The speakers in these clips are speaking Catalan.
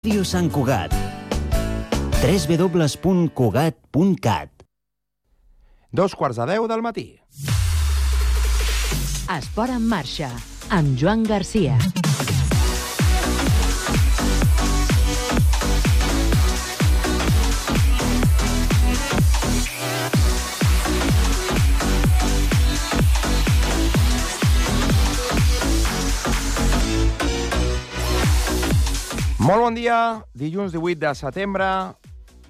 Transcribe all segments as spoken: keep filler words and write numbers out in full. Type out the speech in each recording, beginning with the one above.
Ràdio Sant Cugat. w w w punt cugat punt cat. Dos quarts de deu del matí. Esport en marxa, amb Joan Garcia. Molt bon dia, dilluns divuit de setembre,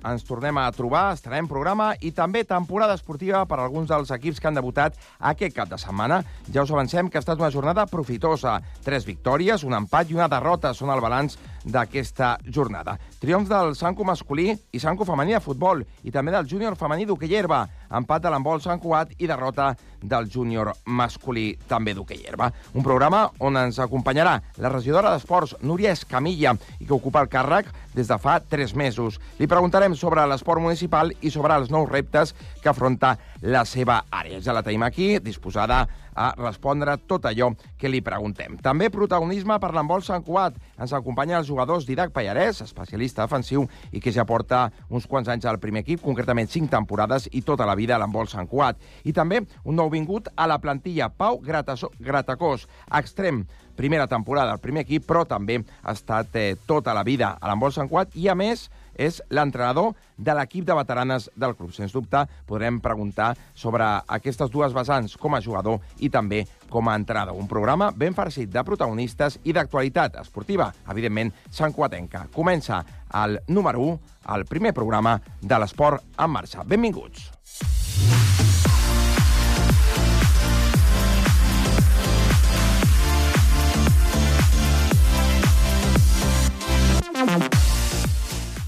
ens tornem a trobar, estarem programa i també temporada esportiva per a alguns dels equips que han debutat aquest cap de setmana. Ja us avancem que ha estat una jornada profitosa. Tres victòries, un empat i una derrota són el balanç d'aquesta jornada. Triomfs del Sanco masculí i Sanco femení de futbol i també del júnior femení d'hoquei herba. Empat de l'handbol Sant Cugat i derrota del júnior masculí també d'hoquei herba. Un programa on ens acompanyarà la regidora d'Esports, Núria Escamilla, i que ocupa el càrrec des de fa tres mesos. Li preguntarem sobre l'esport municipal i sobre els nous reptes que afronta la seva àrea. Ja la tenim aquí, disposada a respondre tot allò que li preguntem. També protagonisme per l'handbol Sant Cugat. Ens acompanyen els jugadors Didac Pallarès, especialista defensiu i que ja porta uns quants anys al primer equip, concretament cinc temporades i tota la vida a l'handbol Sant Cugat. I també un nou vingut a la plantilla, Pau Grataso, Gratacós, extrem, primera temporada al primer equip, però també ha estat eh, tota la vida a l'handbol Sant Cugat i, a més, és l'entrenador de l'equip de veteranes del club. Sens dubte, podrem preguntar sobre aquestes dues vessants com a jugador i també com a entrenador. Un programa ben farcit de protagonistes i d'actualitat esportiva, evidentment, santcugatenca. Comença el número u, el primer programa de l'esport en marxa. Benvinguts.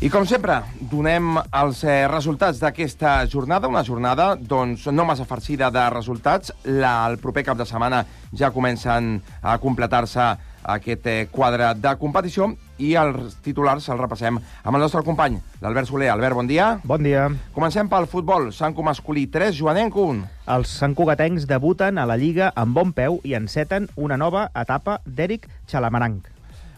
I com sempre, donem els eh, resultats d'aquesta jornada, una jornada doncs, no massa farcida de resultats. La, el proper cap de setmana ja comencen a completar-se aquest eh, quadre de competició i els titulars els repassem amb el nostre company, l'Albert Soler. Albert, bon dia. Bon dia. Comencem pel futbol. Sanco masculí tres, Joanenc un. Els santcugatencs debuten a la Lliga amb bon peu i enceten una nova etapa d'Eric Xalamaranc.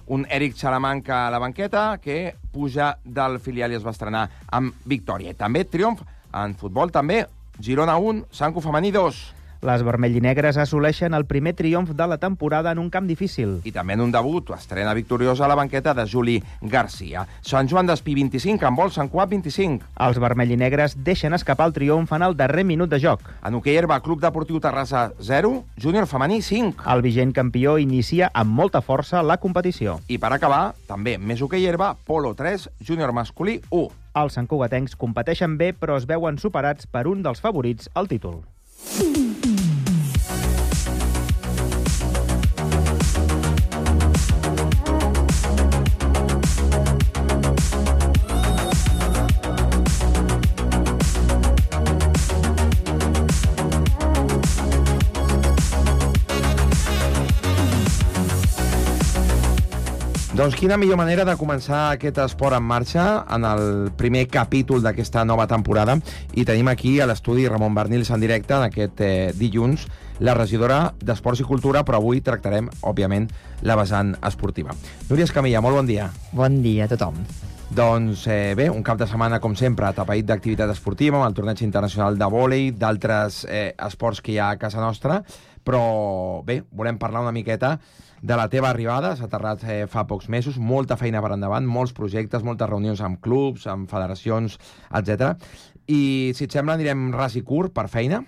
Un Eric Xalamanca a la banqueta que puja del filial i es va estrenar amb victòria. I també triomf en futbol, també Girona un, Sanco femení dos. Les vermellinegres assoleixen el primer triomf de la temporada en un camp difícil. I també en un debut, estrena victoriosa a la banqueta de Juli Garcia. Sant Joan d'Espí vint-i-cinc, handbol Sant Cugat vint-i-cinc. Els vermellinegres deixen escapar el triomf en el darrer minut de joc. En hoquei herba, Club Deportiu Terrassa zero, júnior femení cinc. El vigent campió inicia amb molta força la competició. I per acabar, també més hoquei herba, polo tres, júnior masculí u. Els santcugatencs competeixen bé, però es veuen superats per un dels favorits al títol. Doncs quina millor manera de començar aquest esport en marxa en el primer capítol d'aquesta nova temporada. I tenim aquí a l'estudi Ramon Bernils en directe en aquest eh, dilluns, la regidora d'Esports i Cultura, però avui tractarem, òbviament, la vessant esportiva. Núria Escamilla, molt bon dia. Bon dia a tothom. Doncs eh, bé, un cap de setmana, com sempre, atapeït d'activitat esportiva, amb el torneig internacional de vòlei, d'altres eh, esports que hi ha a casa nostra, però bé, volem parlar una miqueta de la teva arribada. S'ha aterrat eh, fa pocs mesos, molta feina per endavant, molts projectes, moltes reunions amb clubs, amb federacions, etcètera. I, si et sembla, anirem ras i curt per feina.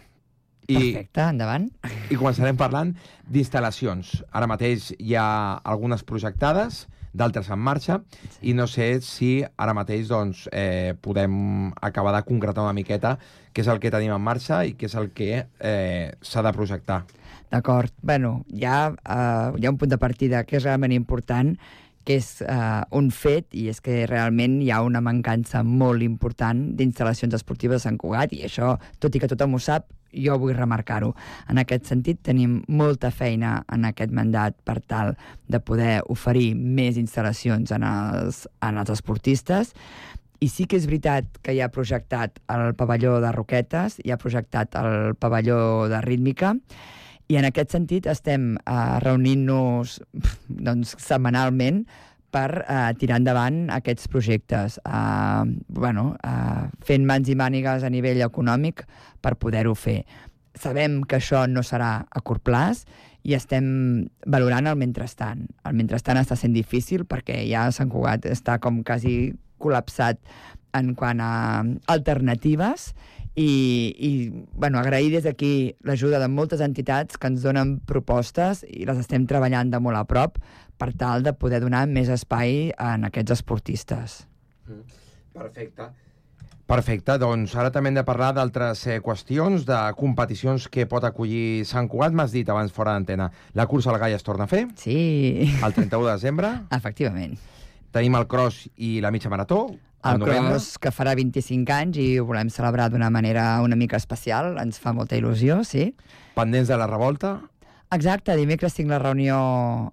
I, Perfecte, endavant. I començarem parlant d'instal·lacions. Ara mateix hi ha algunes projectades, d'altres en marxa, i no sé si ara mateix doncs, eh, podem acabar de concretar una miqueta què és el que tenim en marxa i què és el que eh, s'ha de projectar. D'acord. Bueno, hi ha, uh, hi ha un punt de partida que és realment important, que és uh, un fet, i és que realment hi ha una mancança molt important d'instal·lacions esportives a Sant Cugat, i això, tot i que tothom ho sap, jo vull remarcar-ho. En aquest sentit, tenim molta feina en aquest mandat per tal de poder oferir més instal·lacions en els, en els esportistes. I sí que és veritat que hi ha projectat el pavelló de Roquetes, hi ha projectat el pavelló de Rítmica, i en aquest sentit estem uh, reunint-nos doncs, setmanalment per uh, tirar endavant aquests projectes, uh, bueno, uh, fent mans i mànigues a nivell econòmic per poder-ho fer. Sabem que això no serà a curt plaç i estem valorant el mentrestant. El mentrestant està sent difícil perquè ja Sant Cugat està com quasi col·lapsat en quant a alternatives i, i bueno, agrair des d'aquí l'ajuda de moltes entitats que ens donen propostes i les estem treballant de molt a prop per tal de poder donar més espai en aquests esportistes. Perfecte. Perfecte, doncs ara també hem de parlar d'altres eh, qüestions, de competicions que pot acollir Sant Cugat. M'has dit abans fora d'antena, la cursa al Gall es torna a fer? Sí. El trenta-u de desembre. Efectivament. Tenim el cross i la mitja marató. El cross que farà vint-i-cinc anys i ho volem celebrar d'una manera una mica especial. Ens fa molta il·lusió, sí. Pendents de la revolta. Exacte, dimecres tinc la reunió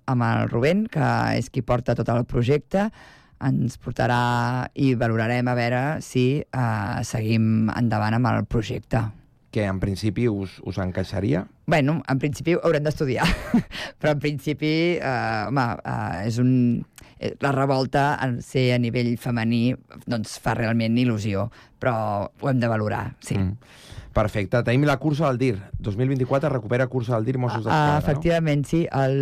amb el Rubén, que és qui porta tot el projecte. Ens portarà i valorarem a veure si uh, seguim endavant amb el projecte. Que en principi us, us encaixaria? Bueno, en principi haurem d'estudiar, però en principi, uh, home, uh, és un... la revolta, en ser a nivell femení, doncs fa realment il·lusió, però ho hem de valorar, sí. Mm. Perfecte. Tenim la cursa del D I R. dos mil vint-i-quatre recupera cursa del D I R Mossos d'Esquadra, uh, efectivament, no? Sí. El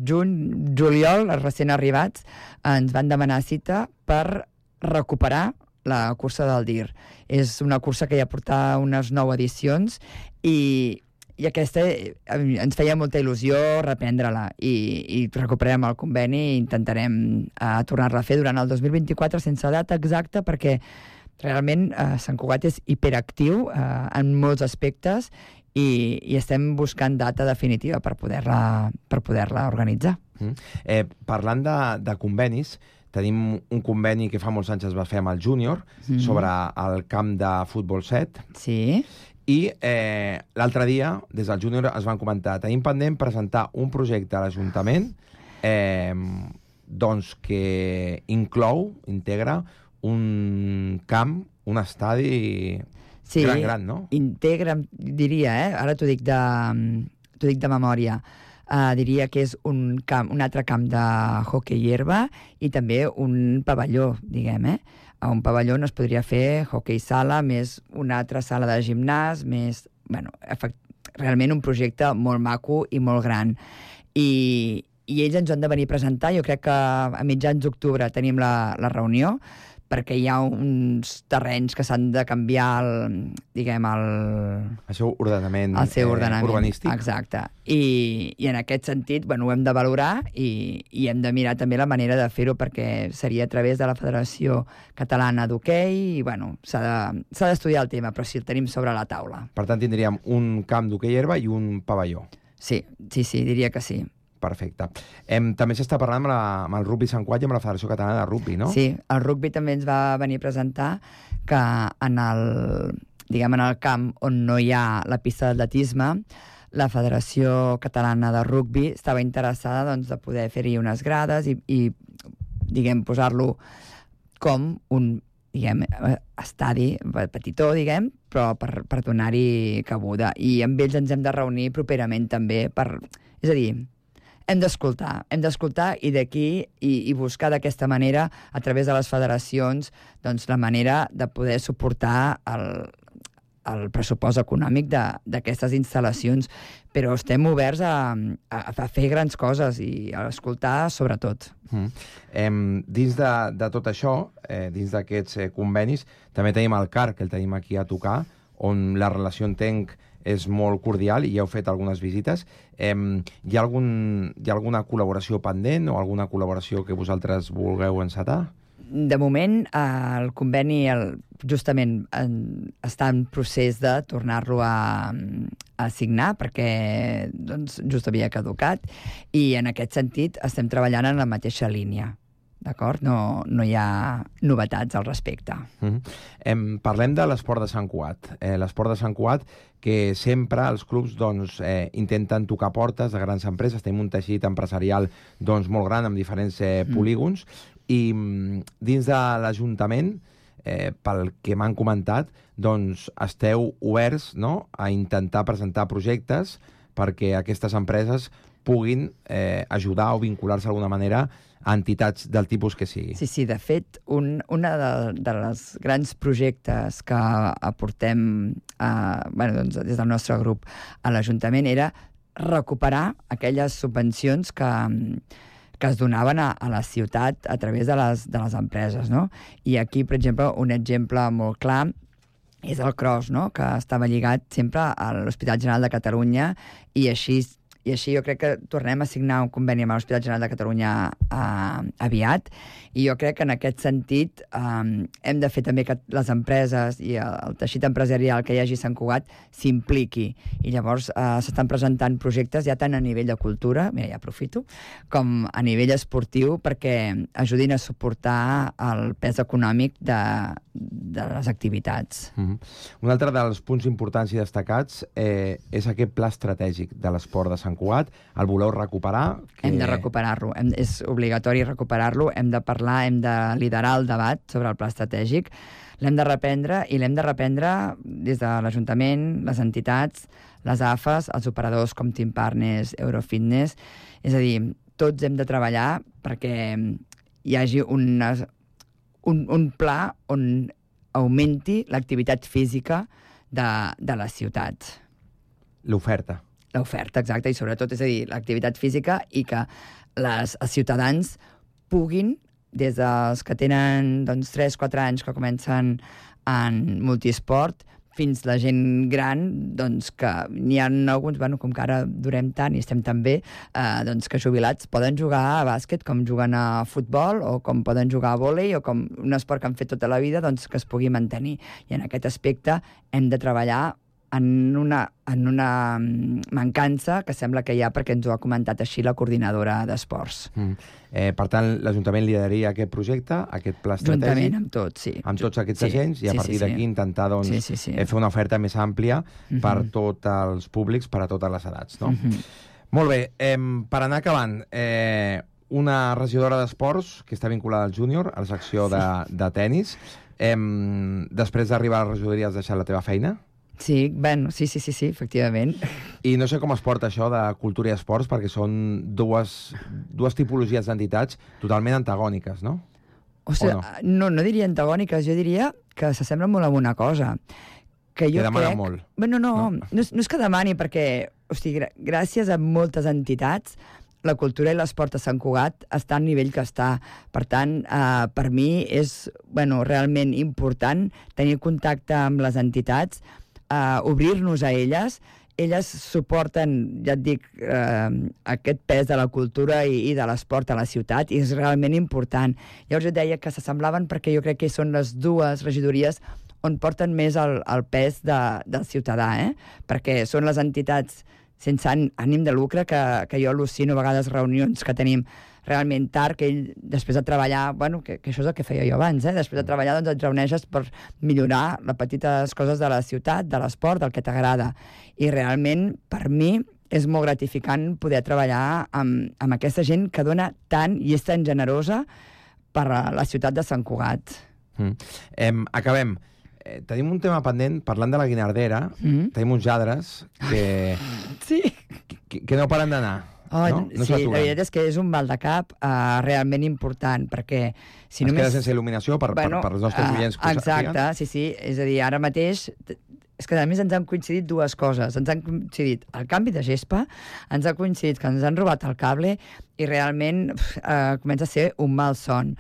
juny, juliol, els recent arribats, ens van demanar cita per recuperar la cursa del D I R. És una cursa que ja porta unes nou edicions i, i aquesta ens feia molta il·lusió reprendre-la i, i recuperarem el conveni i intentarem uh, tornar-la a fer durant el dos mil vint-i-quatre sense data exacta perquè realment eh, Sant Cugat és hiperactiu eh, en molts aspectes i, i estem buscant data definitiva per poder-la per poder-la organitzar. Mm. Eh, parlant de, de convenis, tenim un conveni que fa molts anys es va fer amb el júnior mm. sobre el camp de futbol set. Sí. I eh, l'altre dia, des del júnior, es van comentar, tenim pendent presentar un projecte a l'Ajuntament eh, doncs que inclou, integra, un camp, un estadi sí, gran, gran, no? Integra, diria, eh? Ara t'ho dic de, t'ho dic de memòria. Uh, diria que és un, camp, un altre camp de hoquei herba i també un pavelló, diguem, eh? A un pavelló on es podria fer hoquei sala, més una altra sala de gimnàs, més... Bueno, efect... realment un projecte molt maco i molt gran. I, i ells ens han de venir a presentar. Jo crec que a mitjans d'octubre tenim la, la reunió, perquè hi ha uns terrenys que s'han de canviar el, diguem, el... El seu ordenament, el seu ordenament eh, urbanístic. Exacte. I, I en aquest sentit, bueno, ho hem de valorar i, i hem de mirar també la manera de fer-ho perquè seria a través de la Federació Catalana d'Hoquei i, bueno, s'ha d'estudiar de, el tema, però sí, el tenim sobre la taula. Per tant, tindríem un camp d'hoquei herba i un pavelló. Sí, sí, sí, diria que sí. Perfecte. Em, també s'està parlant amb, la, amb el Rugby Sant Cugat i amb la Federació Catalana de Rugby, no? Sí, el rugby també ens va venir a presentar que en el, diguem, en el camp on no hi ha la pista d'atletisme, la Federació Catalana de Rugby estava interessada doncs, de poder fer-hi unes grades i, i diguem, posar-lo com un diguem, estadi petitó, diguem, però per, per donar-hi cabuda. I amb ells ens hem de reunir properament també per... És a dir, hem d'escoltar, hem d'escoltar i d'aquí i, i buscar d'aquesta manera, a través de les federacions, doncs la manera de poder suportar el, el pressupost econòmic d'aquestes instal·lacions. Però estem oberts a, a, a fer grans coses i a escoltar sobretot. Mm. Eh, dins de, de tot això, eh, dins d'aquests eh, convenis, també tenim el C A R, que el tenim aquí a tocar, on la relació entenc és molt cordial i ja heu fet algunes visites. Eh, hi, ha algun, hi ha alguna col·laboració pendent o alguna col·laboració que vosaltres vulgueu encetar? De moment, el conveni el, justament en, està en procés de tornar-lo a, a signar perquè doncs, just havia caducat i en aquest sentit estem treballant en la mateixa línia. D'acord? No, no hi ha novetats al respecte. Mm-hmm. em, parlem de l'esport de Sant Cugat. Eh, l'esport de Sant Cugat que sempre els clubs doncs, eh, intenten tocar portes de grans empreses. Tenim un teixit empresarial doncs, molt gran amb diferents eh, polígons mm. i mm, dins de l'Ajuntament, eh, pel que m'han comentat, doncs, esteu oberts, no?, a intentar presentar projectes perquè aquestes empreses puguin eh, ajudar o vincular-se d'alguna manera a entitats del tipus que sigui. Sí, sí, de fet, un una de, de les grans projectes que aportem a, bueno, doncs, des del nostre grup a l'Ajuntament era recuperar aquelles subvencions que, que es donaven a, a la ciutat a través de les, de les empreses, no? I aquí, per exemple, un exemple molt clar és el Cross, no? Que estava lligat sempre a l'Hospital General de Catalunya i així i així jo crec que tornem a signar un conveni amb l'Hospital General de Catalunya eh, aviat, i jo crec que en aquest sentit eh, hem de fer també que les empreses i el, el teixit empresarial que hi hagi a Sant Cugat s'impliqui, i llavors eh, s'estan presentant projectes ja tant a nivell de cultura, mira, ja aprofito, com a nivell esportiu, perquè ajudin a suportar el pes econòmic de, de les activitats. Mm-hmm. Un altre dels punts importants i destacats eh, és aquest pla estratègic de l'esport de Sant Cugat. El voleu recuperar? Que... Hem de recuperar-lo. Hem, és obligatori recuperar-lo. Hem de parlar, hem de liderar el debat sobre el pla estratègic. L'hem de reprendre, i l'hem de reprendre des de l'Ajuntament, les entitats, les A F Es, els operadors com Team Partners, Eurofitness. És a dir, tots hem de treballar perquè hi hagi una, un, un pla on augmenti l'activitat física de, de la ciutat. L'oferta. L'oferta, exacte, i sobretot, és a dir, l'activitat física, i que les, els ciutadans puguin, des dels que tenen doncs, tres quatre anys que comencen en multiesport, fins la gent gran, doncs que n'hi ha alguns, bueno, com que ara durem tant i estem tan bé, eh, doncs que jubilats poden jugar a bàsquet com juguen a futbol, o com poden jugar a vòlei, o com un esport que han fet tota la vida, doncs que es pugui mantenir. I en aquest aspecte hem de treballar en una, en una mancança que sembla que hi ha, perquè ens ho ha comentat així la coordinadora d'esports. Mm. Eh, per tant, l'Ajuntament lideraria aquest projecte, aquest pla estratègic... Juntament amb tots, sí. Amb tots aquests sí, agents, i a sí, partir sí, d'aquí sí. intentar doncs, sí, sí, sí. fer una oferta més àmplia uh-huh. per tots els públics, per a totes les edats. No? Uh-huh. Molt bé, eh, per anar acabant, eh, una regidora d'esports que està vinculada al júnior, a la secció sí. de, de tennis. Eh, després d'arribar a la regidoria has deixat la teva feina? Sí, bueno, sí, sí, sí, sí, efectivament. I no sé com es porta això de cultura i esports, perquè són dues, dues tipologies d'entitats totalment antagòniques, no? O sigui, o no? no, no diria antagòniques, jo diria que s'assemblen molt a una cosa. Que, jo que demana crec... molt. Bueno, no, no. No, és, no és que demani, perquè, o sigui, gràcies a moltes entitats, la cultura i l'esport a Sant Cugat està al nivell que està. Per tant, eh, per mi és bueno, realment important tenir contacte amb les entitats, Uh, obrir-nos a elles. Elles suporten, ja et dic, uh, aquest pes de la cultura i, i de l'esport a la ciutat, i és realment important. Llavors jo deia que s'assemblaven perquè jo crec que són les dues regidories on porten més el, el pes de, del ciutadà, eh? Perquè són les entitats sense ànim de lucre, que, que jo al·lucino a vegades reunions que tenim realment tard, que ell, després de treballar, bueno, que, que això és el que feia jo abans, eh? Després de treballar, doncs et reuneixes per millorar les petites coses de la ciutat, de l'esport, del que t'agrada. I realment, per mi, és molt gratificant poder treballar amb, amb aquesta gent que dona tant i és tan generosa per a la ciutat de Sant Cugat. Mm. Eh, acabem. Eh, tenim un tema pendent, parlant de la Guinardera, mm. tenim uns lladres que, sí. que, que no paren d'anar. Oh, no? No sí, la veritat és que és un mal de cap uh, realment important, perquè si es només... queda sense il·luminació per, bueno, per, per els nostres oients. Uh, exacte, sí, sí. És a dir, ara mateix... És que a més ens han coincidit dues coses. Ens han coincidit el canvi de gespa, ens ha coincidit que ens han robat el cable, i realment uh, comença a ser un mal son.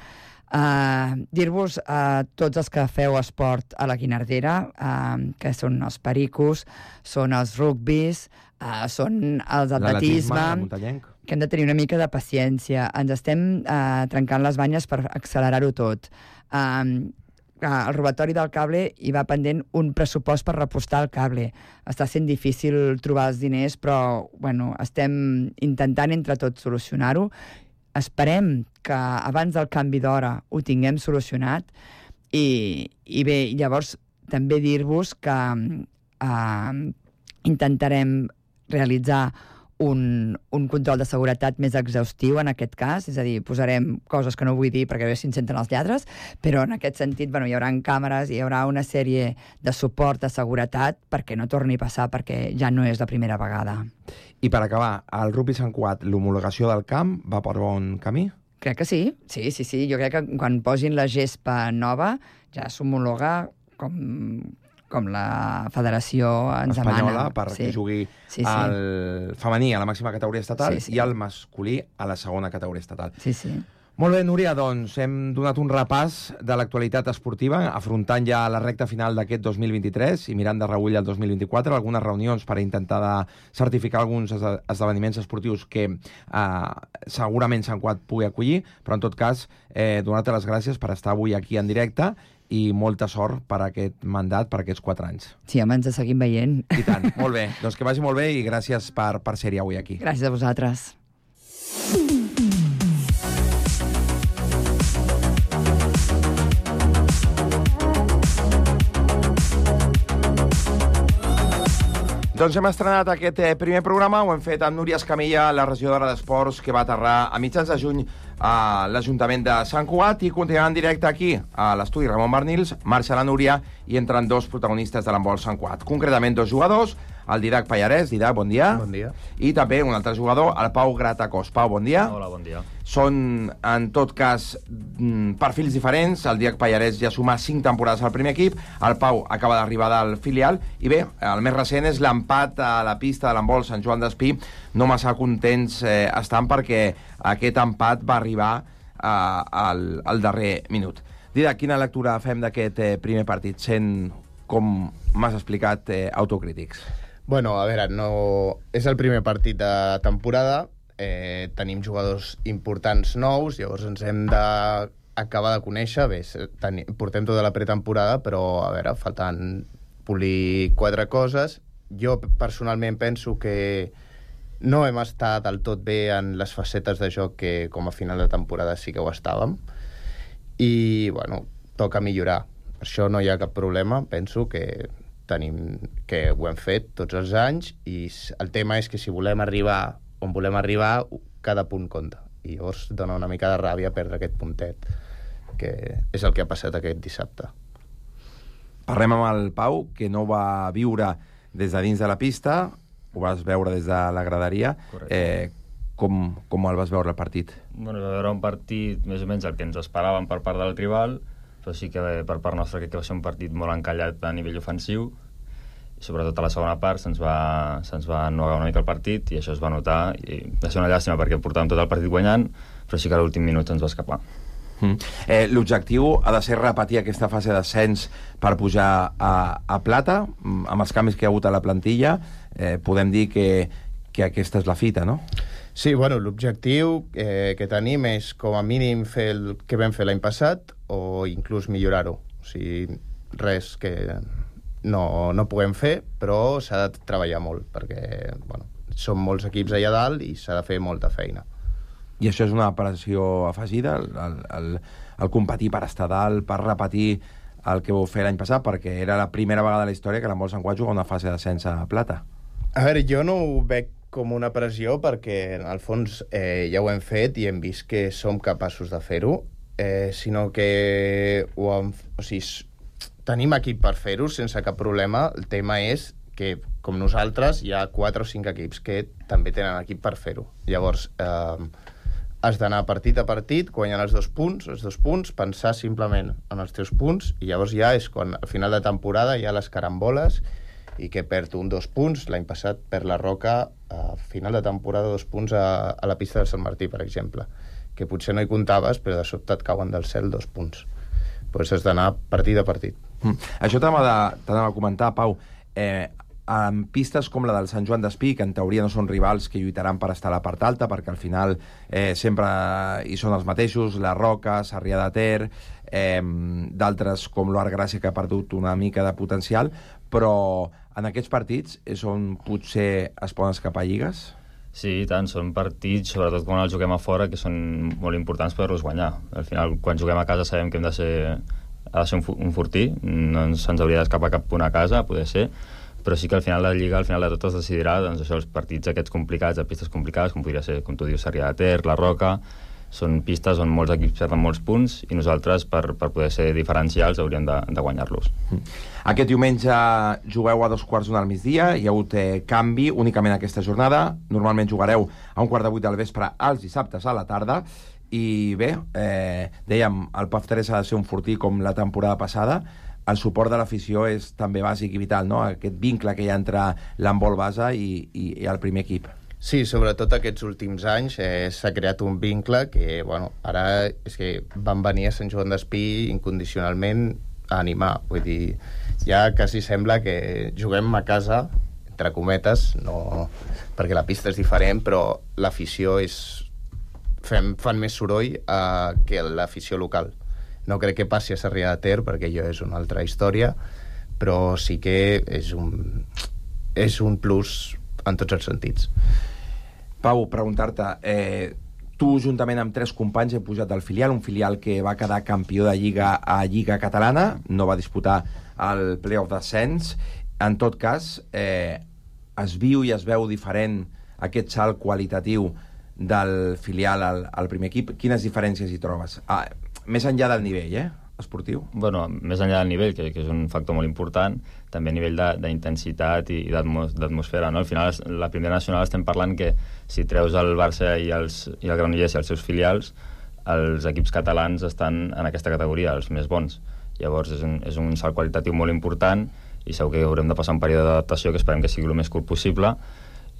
Uh, dir-vos a tots els que feu esport a la Guinardera, uh, que són els pericos, són els rugbis, uh, són els atletisme, que hem de tenir una mica de paciència. Ens estem uh, trencant les banyes per accelerar-ho tot. Uh, el robatori del cable hi va pendent un pressupost per repostar el cable. Està sent difícil trobar els diners, però bueno, estem intentant entre tots solucionar-ho. Esperem que abans del canvi d'hora ho tinguem solucionat, i, i bé, llavors també dir-vos que uh, intentarem realitzar un, un control de seguretat més exhaustiu en aquest cas, és a dir, posarem coses que no vull dir perquè a veure si ens senten els lladres, però en aquest sentit bueno, hi haurà càmeres, hi haurà una sèrie de suport de seguretat perquè no torni a passar, perquè ja no és la primera vegada. I per acabar, el Rugby Sant Cugat, l'homologació del camp va per bon camí? Crec que sí, sí, sí, sí. Jo crec que quan posin la gespa nova ja s'homologa com... com la federació ens demana. Espanyola, perquè sí. jugui sí, sí. el femení a la màxima categoria estatal sí, sí. i el masculí a la segona categoria estatal. Sí, sí. Molt bé, Núria, doncs hem donat un repàs de l'actualitat esportiva, afrontant ja la recta final d'aquest dos mil vint-i-tres i mirant de reull el dos mil vint-i-quatre, algunes reunions per intentar de certificar alguns esdeveniments esportius que eh, segurament Sant Cugat pugui acollir, però en tot cas, eh, donar-te les gràcies per estar avui aquí en directe i molta sort per aquest mandat, per aquests quatre anys. Sí, home, ens seguim veient. I tant, molt bé. Doncs que vagi molt bé i gràcies per, per ser-hi avui aquí. Gràcies a vosaltres. Doncs hem estrenat aquest eh, primer programa, ho hem fet amb Núria Escamilla, la regidora d'Esports, que va aterrar a mitjans de juny a l'Ajuntament de Sant Cugat, i continuem en directe aquí, a l'estudi Ramon Barnils, marxa la Núria, i entren dos protagonistes de l'handbol Sant Cugat. Concretament, dos jugadors, el Didac Pallarès. Didac, bon dia. Bon dia. I també un altre jugador, el Pau Gratacós. Pau, bon dia. Hola, bon dia. Són, en tot cas, perfils diferents. El Didac Pallarès ja suma cinc temporades al primer equip, el Pau acaba d'arribar del filial, i bé, el més recent és l'empat a la pista de l'handbol Sant Joan d'Espí. No massa contents eh, estan perquè aquest empat va arribar eh, al, al darrer minut. Didac, quina lectura fem d'aquest eh, primer partit, sent, com m'has explicat, eh, autocrítics? Bueno, a veure, no... és el primer partit de temporada, eh, tenim jugadors importants nous, llavors ens hem d'acabar de conèixer. Bé, ten... portem tota la pretemporada, però, a veure, falten polir quatre coses. Jo, personalment, penso que no hem estat del tot bé en les facetes de joc que, com a final de temporada, sí que ho estàvem. I, bueno, toca millorar. Per això no hi ha cap problema, penso que tenim que ho hem fet tots els anys, i el tema és que si volem arribar on volem arribar, cada punt compta, i llavors dona una mica de ràbia perdre aquest puntet, que és el que ha passat aquest dissabte. Parlem amb el Pau, que no va viure des de dins de la pista, ho vas veure des de la graderia. Eh, com, com el vas veure el partit? Bueno, va veure un partit més o menys el que ens esperàvem per part del rival, però sí que per part nostra crec que va ser un partit molt encallat a nivell ofensiu, i sobretot a la segona part se'ns va, se'ns va ennuegar una mica el partit, i això es va notar, i va ser una llàstima perquè portàvem tot el partit guanyant, però sí que a l'últim minut ens va escapar. Mm. Eh, L'objectiu ha de ser repetir aquesta fase d'ascens per pujar a, a plata, amb els canvis que hi ha hagut a la plantilla. Eh, podem dir que, que aquesta és la fita, no? Sí, bueno, l'objectiu eh, que tenim és com a mínim fer el que vam fer l'any passat, o inclús millorar-ho. O sigui, res que no, no puguem fer, però s'ha de treballar molt, perquè bueno, som molts equips allà dalt i s'ha de fer molta feina. I això és una pressió afegida, el, el, el, el competir per estar dalt, per repetir el que vau fer l'any passat, perquè era la primera vegada de la història que l'handbol Sant Cugat juga una fase d'ascens a plata. A veure, jo no ho veig com una pressió, perquè en el fons eh, ja ho hem fet i hem vist que som capaços de fer-ho, eh, sinó que ho hem, o sigui, tenim equip per fer-ho sense cap problema. El tema és que, com nosaltres, hi ha quatre o cinc equips que també tenen equip per fer-ho. Llavors, eh, has d'anar partit a partit, guanyant els dos punts, els dos punts, pensar simplement en els teus punts, i llavors ja és quan, al final de temporada, hi ha les caramboles, i que perd un dos punts. L'any passat perd la Roca a final de temporada dos punts a, a la pista de Sant Martí, per exemple, que potser no hi comptaves, però de sobte et cauen del cel dos punts. Pues has d'anar partit a partit. Mm. Això t'anava a comentar, Pau. Eh, en pistes com la del Sant Joan d'Espí, que en teoria no són rivals que lluitaran per estar a la part alta, perquè al final eh, sempre hi són els mateixos, la Roca, Sarrià de Ter, eh, d'altres com l'Arc Gràcia, que ha perdut una mica de potencial, però en aquests partits és on potser es poden escapar lligues? Sí, i tant, són partits, sobretot quan els juguem a fora, que són molt importants per-los guanyar. Al final, quan juguem a casa sabem que hem de ser, ha de ser un, un fortí, no ens hauria d'escapar cap punt a casa, poder ser, però sí que al final de la Lliga, al final de tot es decidirà doncs, això, els partits aquests complicats, de pistes complicades, com podria ser, com tu dius, Sarrià de Ter, la Roca, són pistes on molts equips perden molts punts i nosaltres, per, per poder ser diferencials, hauríem de, de guanyar-los. Aquest diumenge jugueu a dos quarts d'una al migdia, hi ha hagut eh, canvi únicament aquesta jornada, normalment jugareu a un quart de vuit del vespre els dissabtes a la tarda, i bé, eh, dèiem, el P A F tres ha de ser un fortí com la temporada passada. El suport de l'afició és també bàsic i vital, no? Aquest vincle que hi ha entre l'handbol base i, i, i el primer equip. Sí, sobretot aquests últims anys eh, s'ha creat un vincle que, bueno, ara és que van venir a Sant Joan d'Espí incondicionalment a animar. Vull dir, ja quasi sembla que juguem a casa, entre cometes, no, perquè la pista és diferent, però l'afició és... Fem, fan més soroll eh, que l'afició local. No crec que passi a Sarrià de Ter, perquè allò és una altra història, però sí que és un, és un plus en tots els sentits. Pau, preguntar-te, eh, tu juntament amb tres companys he pujat al filial, un filial que va quedar campió de Lliga a Lliga Catalana, no va disputar el play-off d'ascens. En tot cas, eh, es viu i es veu diferent aquest salt qualitatiu del filial al, al primer equip. Quines diferències hi trobes? Ah, més enllà del nivell, eh, esportiu? Bueno, més enllà del nivell, que, que és un factor molt important, també a nivell d'intensitat i d'atmosfera, no? Al final, la primera nacional estem parlant que si treus el Barça i, els, i el Granollers i els seus filials, els equips catalans estan en aquesta categoria, els més bons. Llavors, és un, és un salt qualitatiu molt important i segur que haurem de passar un període d'adaptació que esperem que sigui el més curt possible.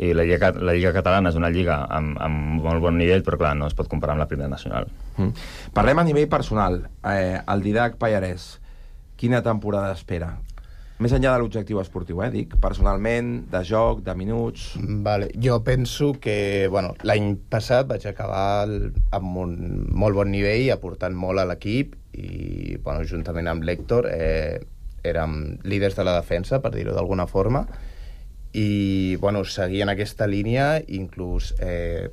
I la Lliga, la Lliga Catalana és una lliga amb, amb molt bon nivell, però clar, no es pot comparar amb la primera nacional. Mm. Parlem a nivell personal. Eh, el Didac Pallarès, quina temporada espera? Més enllà de l'objectiu esportiu, eh, dic, personalment, de joc, de minuts... Vale. Jo penso que, bueno, l'any passat vaig acabar el, amb un molt bon nivell, aportant molt a l'equip, i, bueno, juntament amb l'Héctor, eh, érem líders de la defensa, per dir-ho d'alguna forma, i bueno, seguir en aquesta línia, inclús eh,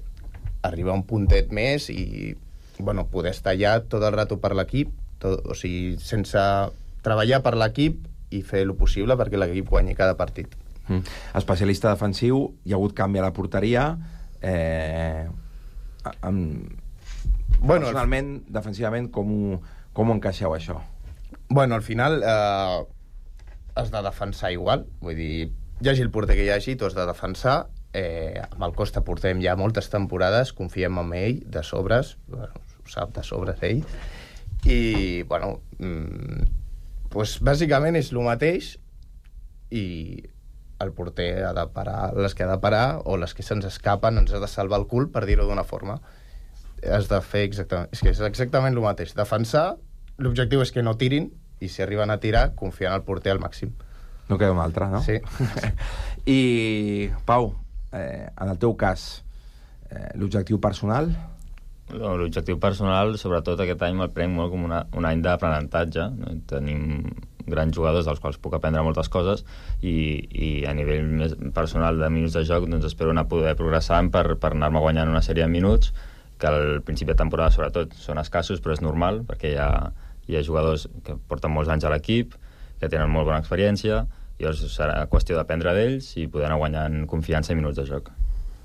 arribar a un puntet més i bueno, poder estar allà tot el rato per l'equip, o sigui, sense treballar per l'equip i fer el possible perquè l'equip guanyi cada partit. Mm. Especialista defensiu, hi ha hagut canvi a la porteria, eh, amb... bueno, personalment, el... defensivament, com ho, com ho encaixeu això? Bueno, al final eh, has de defensar igual, vull dir, hi hagi el porter que hi hagi, tu has de defensar. Eh, amb el Costa portem ja moltes temporades, confiem en ell, de sobres, bueno, ho sap, de sobres ell, i, bueno, mmm, pues, bàsicament és el mateix, i el porter ha de parar les que ha de parar, o les que se'ns escapen, ens ha de salvar el cul, per dir-ho d'una forma. Has de fer exactament... És que és exactament el mateix. Defensar, l'objectiu és que no tirin, i si arriben a tirar, confiar en el porter al màxim. No queda una altra, no? Sí. I, Pau, eh, en el teu cas, eh, l'objectiu personal? No, l'objectiu personal, sobretot aquest any, me'l prenc molt com una, un any d'aprenentatge. No? Tenim grans jugadors dels quals puc aprendre moltes coses i, i a nivell més personal de minuts de joc doncs espero anar a poder progressar per, per anar-me guanyant una sèrie de minuts que al principi de temporada, sobretot, són escassos, però és normal, perquè hi ha, hi ha jugadors que porten molts anys a l'equip, que tenen molt bona experiència, i llavors serà qüestió d'aprendre d'ells i poder anar guanyant confiança i minuts de joc.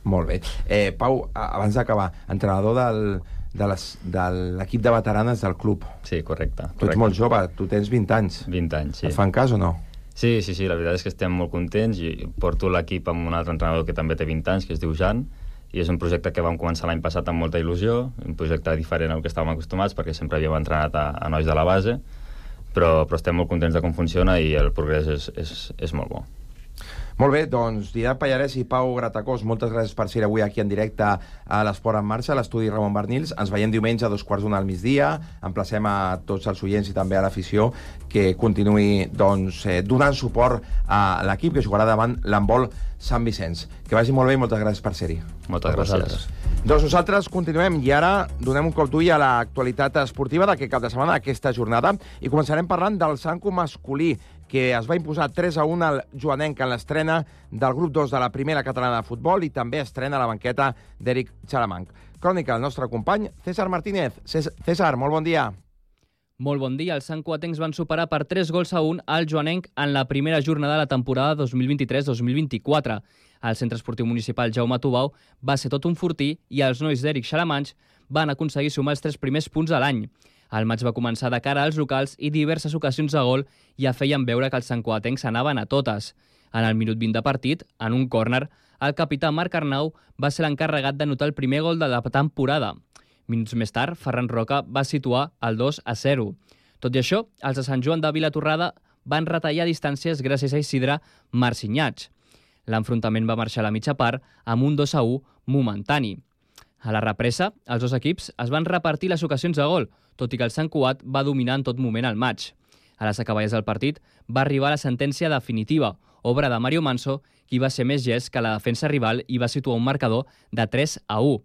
Molt bé. Eh, Pau, abans d'acabar, entrenador del, de, les, de l'equip de veteranes del club. Sí, correcte. Tu ets molt jove, tu tens vint anys. vint anys, sí. Et fan cas o no? Sí, sí, sí, la veritat és que estem molt contents i porto l'equip amb un altre entrenador que també té vint anys, que es diu Jan, i és un projecte que vam començar l'any passat amb molta il·lusió, un projecte diferent al que estàvem acostumats, perquè sempre havíem entrenat a, a nois de la base, però, però estem molt contents de com funciona i el progrés és, és, és molt bo. Molt bé, doncs Didac Pallarès i Pau Gratacós, moltes gràcies per ser avui aquí en directe a l'Esport en Marxa, a l'estudi Ramon Bernils. Ens veiem diumenge a dos quarts d'una al migdia. Emplacem a tots els oients i també a l'afició que continuï doncs, eh, donant suport a l'equip que jugarà davant l'handbol Sant Vicenç. Que vagi molt bé i moltes gràcies per ser-hi. Moltes gràcies. Doncs nosaltres continuem i ara donem un cop d'ull a l'actualitat esportiva d'aquest cap de setmana, aquesta jornada, i començarem parlant del Sanco masculí, que es va imposar tres a un al Joanenc en l'estrena del grup dos de la primera catalana de futbol i també estrena la banqueta d'Eric Xalamanc. Crònica del nostre company César Martínez. César, molt bon dia. Molt bon dia. Els santcugatencs van superar per tres gols a un al joanenc en la primera jornada de la temporada dos mil vint-i-tres dos mil vint-i-quatre. El Centre Esportiu Municipal Jaume Tubau va ser tot un fortí i els nois d'Eric Xalamanx van aconseguir sumar els tres primers punts a l'any. El maig va començar de cara als locals i diverses ocasions de gol ja feien veure que els santcugatencs anaven a totes. En el minut vint de partit, en un córner, el capità Marc Arnau va ser l'encarregat d'anotar el primer gol de la temporada. Minuts més tard, Ferran Roca va situar el dos a zero. Tot i això, els de Sant Joan de Vilatorrada van retallar distàncies gràcies a Isidre Marcinyats. L'enfrontament va marxar a la mitja part amb un dos a u momentani. A la represa, els dos equips es van repartir les ocasions de gol, tot i que el Sant Cugat va dominar en tot moment el maig. A les acaballes del partit va arribar la sentència definitiva, obra de Mario Manso, qui va ser més gest que la defensa rival i va situar un marcador de tres a u.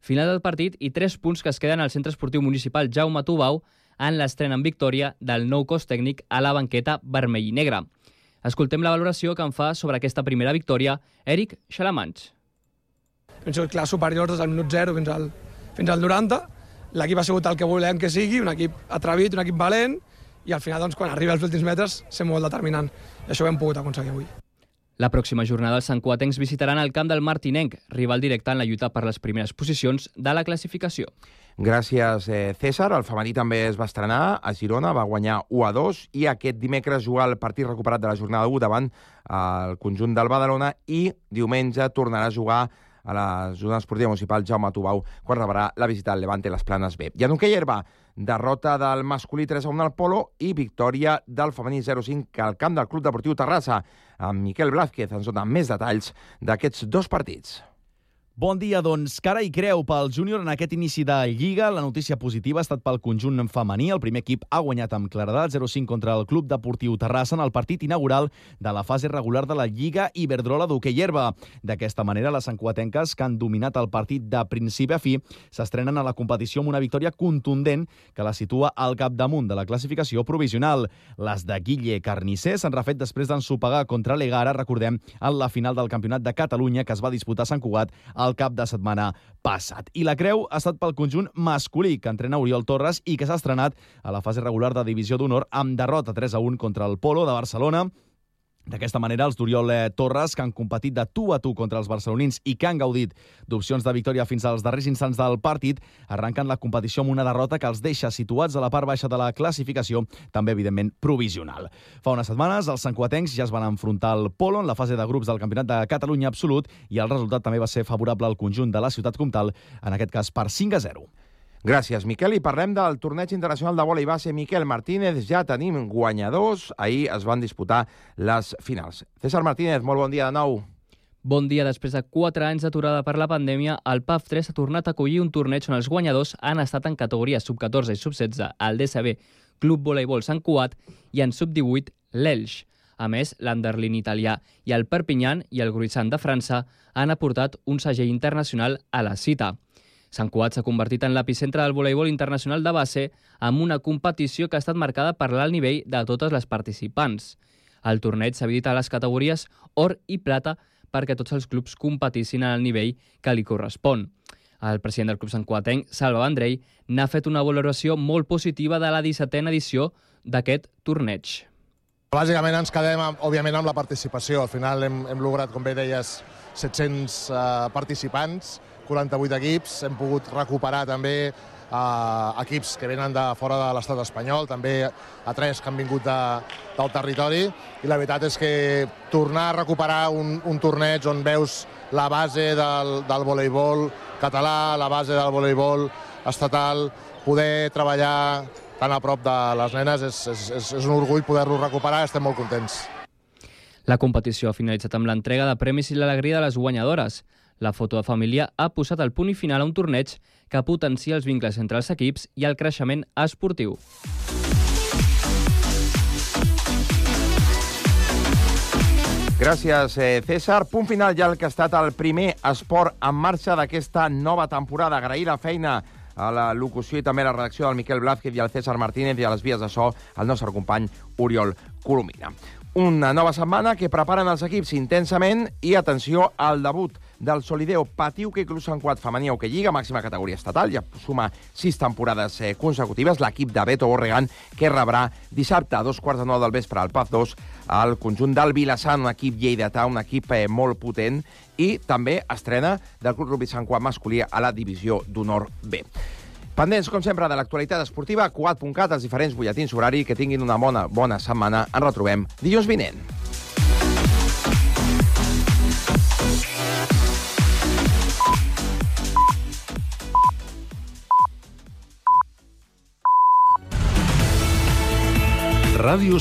Final del partit i tres punts que es queden al Centre Esportiu Municipal Jaume Tubau en l'estrena en victòria del nou cos tècnic a la banqueta vermell i negre. Escoltem la valoració que en fa sobre aquesta primera victòria Eric Xalamanx. Hem sigut clar superiors des del minut zero fins al, fins al noranta. L'equip ha sigut el que volem que sigui, un equip atrevit, un equip valent, i al final, doncs, quan arriba als últims metres, ser molt determinant. I això ho hem pogut aconseguir avui. La pròxima jornada els santcugatencs visitaran el camp del Martinenc, rival directe en la lluita per les primeres posicions de la classificació. Gràcies, eh, César. El femení també es va estrenar a Girona, va guanyar u a dos i aquest dimecres juga el partit recuperat de la jornada u davant el conjunt del Badalona i diumenge tornarà a jugar a la zona esportiva municipal Jaume Tubau quan rebrà la visita al Levante Les Planes B. I en hoquei herba, derrota del masculí tres a un al Polo i victòria del femení zero a cinc al camp del Club Deportiu Terrassa. Amb Miquel Blázquez ens dona més detalls d'aquests dos partits. Bon dia, doncs, cara i creu pel júnior en aquest inici de Lliga. La notícia positiva ha estat pel conjunt femení. El primer equip ha guanyat amb claredat zero a cinc contra el Club Deportiu Terrassa en el partit inaugural de la fase regular de la Lliga Iberdrola d'hoquei herba. D'aquesta manera, les santcugatenques, que han dominat el partit de principi a fi, s'estrenen a la competició amb una victòria contundent que la situa al capdamunt de la classificació provisional. Les de Guille Carnicer s'han refet després d'ensopegar contra l'Egara, recordem, en la final del Campionat de Catalunya que es va disputar a Sant Cugat al cap de setmana passat. I la creu ha estat pel conjunt masculí, que entrena Oriol Torres i que s'ha estrenat a la fase regular de Divisió d'Honor amb derrota tres a un contra el Polo de Barcelona. D'aquesta manera, els d'Oriol Torres, que han competit de tu a tu contra els barcelonins i que han gaudit d'opcions de victòria fins als darrers instants del partit, arrenquen la competició amb una derrota que els deixa situats a la part baixa de la classificació, també, evidentment, provisional. Fa unes setmanes, els santcugatencs ja es van enfrontar al Polo en la fase de grups del Campionat de Catalunya absolut i el resultat també va ser favorable al conjunt de la ciutat comtal, en aquest cas per cinc a zero. Gràcies, Miquel. I parlem del torneig internacional de vòlei base Miquel Martínez. Ja tenim guanyadors. Ahir es van disputar les finals. César Martínez, molt bon dia de nou. Bon dia. Després de quatre anys d'aturada per la pandèmia, el P A F tres ha tornat a acollir un torneig on els guanyadors han estat en categories sub catorze i sub setze al D S B Club Voleibol Sant Cugat i en sub divuit l'Elx. A més, l'Anderlin italià i el Perpignan i el Gruissant de França han aportat un segell internacional a la cita. Sant Cugat s'ha convertit en l'epicentre del voleibol internacional de base amb una competició que ha estat marcada per l'alt nivell de totes les participants. El torneig s'ha dividit a les categories or i plata perquè tots els clubs competissin al nivell que li correspon. El president del club santcugatenc, Salva Vendrell, n'ha fet una valoració molt positiva de la dissetena edició d'aquest torneig. Bàsicament ens quedem, òbviament, amb la participació. Al final hem, hem lograt, com bé deies, set-cents uh, participants, quaranta-vuit equips. Hem pogut recuperar també uh, equips que venen de fora de l'estat espanyol, també a tres que han vingut de, del territori. I la veritat és que tornar a recuperar un, un torneig on veus la base del, del voleibol català, la base del voleibol estatal, poder treballar tan a prop de les nenes, és, és, és un orgull poder-lo recuperar, estem molt contents. La competició ha finalitzat amb l'entrega de premis i l'alegria de les guanyadores. La foto de família ha posat el punt i final a un torneig que potencia els vincles entre els equips i el creixement esportiu. Gràcies, César. Punt final ja el que ha estat el primer esport en marxa d'aquesta nova temporada. Agrair la feina a la locució i també a la redacció del Miquel Blázquez i al César Martínez i a les vies de so al nostre company Oriol Colomina. Una nova setmana que preparen els equips intensament i, atenció, al debut del Solideo Patí Hoquei Club Sant Cugat femení Hoquei Lliga, màxima categoria estatal, ja suma sis temporades eh, consecutives, l'equip de Beto Borregan, que rebrà dissabte a dos quarts de nou del vespre al Paz dos al conjunt del Vilassar, un equip lleidatà, un equip eh, molt potent, i també estrena del Club Rugby Sant Cugat masculí a la divisió d'honor B. Pendents, com sempre, de l'actualitat esportiva, cugat punt cat, els diferents butlletins horari, que tinguin una bona, bona setmana. Ens retrobem dilluns vinent. Ràdio